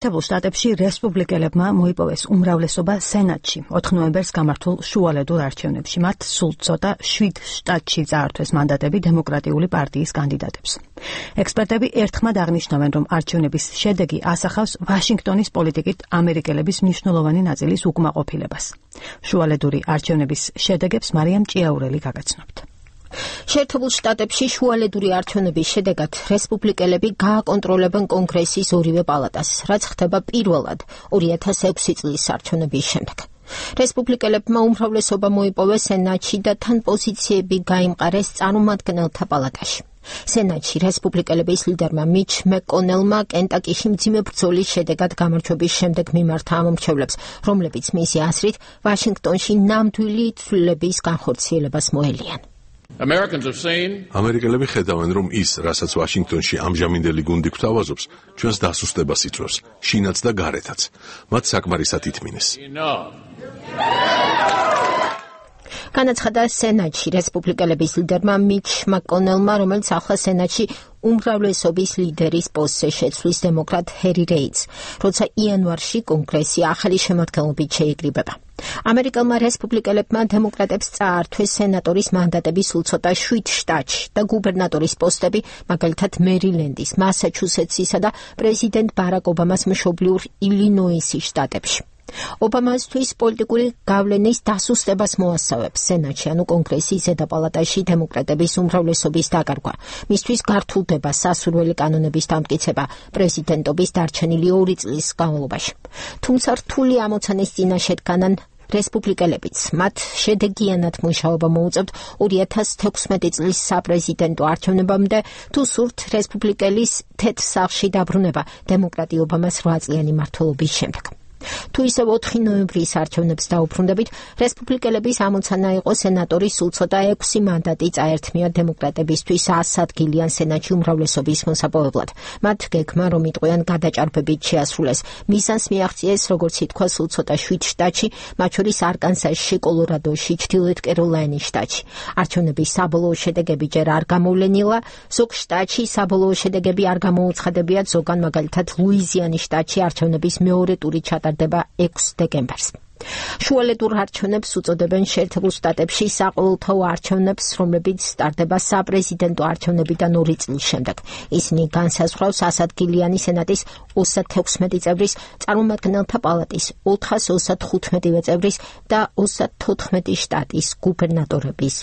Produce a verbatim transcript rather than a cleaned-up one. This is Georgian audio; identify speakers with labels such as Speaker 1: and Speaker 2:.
Speaker 1: შეერთებულ შტატებში რესპუბლიკელებმა მოიპოვეს უმრავლესობა სენატში ოთხ ნოემბერს გამართულ შუალედურ არჩევნებში. მათ სულ ცოტა შვიდ შტატში წაართვეს მანდატები დემოკრატიული პარტიის კანდიდატებს. ექსპერტები ერთხმად აღნიშნავენ, რომ არჩევნების შედეგი ასახავს ვაშინგტონის პოლიტიკით ამერიკელების მნიშვნელოვანი ნაწილის უკმაყოფილებას. შუალედური არჩევნების შედეგებს მარიამ ჭიაურელი გაგაცნობთ.
Speaker 2: შეერთებულ შტატებში შუალედური არჩევნების შედეგად რესპუბლიკელები გააკონტროლებენ კონგრესის ორივე პალატას, რაც ხდება პირველად ორი ათას ექვსი წლის არჩევნების შემდეგ. რესპუბლიკელებმა უმრავლესობა მოიპოვეს სენატში და თან პოზიციები გაიმყარეს წარმომადგენელთა პალატაში. სენატში რესპუბლიკელების ლიდერმა მიჩ მეკონელმა კენტაკიში მძიმე ბრძოლის შედეგად გამარჯვების შემდეგ მიმართა ამომრჩევლებს, რომლებიც მისი აზრით ვაშინგტონში ნამდვილი ცვლილების განხორციელებას მოელიან.
Speaker 3: ამერიკელები ხედავენ, რომ ის, რასაც ვაშინგტონში ამჟამინდელი გუნდი გვთავაზობს, ჩვენს დასუსტებას იწვევს, შინაც და გარეთაც. მათ საკმარისად ითმინეს.
Speaker 2: განაცხადა სენატში რესპუბლიკელების ლიდერმა მიჩ მაკონელმა, რომელიც ახლა სენატში უმრავლესობის ლიდერის პოსტზე შეცვლის დემოკრატ ჰერი რეიდს, როცა იანვარში კონგრესი ახალი შემადგენლობით შეიკრიბება. ამერიკელმა რესპუბლიკელებმა დემოკრატებს წაართვეს სენატორის მანდატები სულ ცოტა შვიდ შტატში და გუბერნატორის პოსტები, მაგალითად მერილენდის, მასაჩუსეტსისა და პრეზიდენტ ბარაკ ობამას მშობლიურ ილინოისის შტატებში. ობამასთვის პოლიტიკური გავლენის დასუსტებას მოასწავებს სენატში, ანუ კონგრესის ზედა პალატაში დემოკრატების უმრავლესობის დაკარგვა. მისთვის გართულდება სასურველი კანონების დამტკიცება პრეზიდენტობის დარჩენილი ორი წლის განმავლობაში. თუმცა რთული ამოცანის წინაშე დგანან რესპუბლიკელებიც. მათ შედეგიანად მუშაობა მოუწევთ ორი ათას თექვსმეტი წლის საპრეზიდენტო არჩევნებამდე, თუ სურთ რესპუბლიკელის თეთრ სახლში დაბრუნება დემოკრატი ობამას რვა წლიანი მმართველობის შემდეგ. თუ ისევ ოთხი ნოემბრის არჩევნებს დაუბრუნდებით, რესპუბლიკელების ამოცანა იყო სენატორის სულ ცოტა ექვსი მანდატი წაერთმიათ დემოკრატებისთვის ას ადგილიან სენატში უმრავლესობის მოსაპოვებლად. მათ გეგმა, რომ იტყვიან გადაჭარბებით შეასრულეს. მიზანს მიაღწიეს, როგორც ითქვა, სულ ცოტა შვიდ შტატში, მათ შორის არკანსასში, კოლორადოში, ჩრდილოეთ კეროლაინის შტატში. არჩევნების საბოლოო შედეგები ჯერ არ გამოვლენილა, ზოგ შტატში საბოლოო შედეგები არ გამოუცხადებიათ, ზოგან მაგალითად ლუიზიანის შტატში არჩევნების მეორე ტური ჩატარდა ექვს დეკემბერს. შუალედურ არჩევნებს უწოდებენ შეერთებულ შტატებში საყოველთაო არჩევნებს, რომლებიც სტარდება საპრეზიდენტო არჩევნებიდან ორი წლის შემდეგ. ისინი განსაზღვრავს ასადგილიანი სენატის ოცდათექვსმეტი წევრის, წარმომადგენელთა პალატის ოთხას ოცდათხუთმეტი წევრის და ოცდათოთხმეტი შტატის გუბერნატორების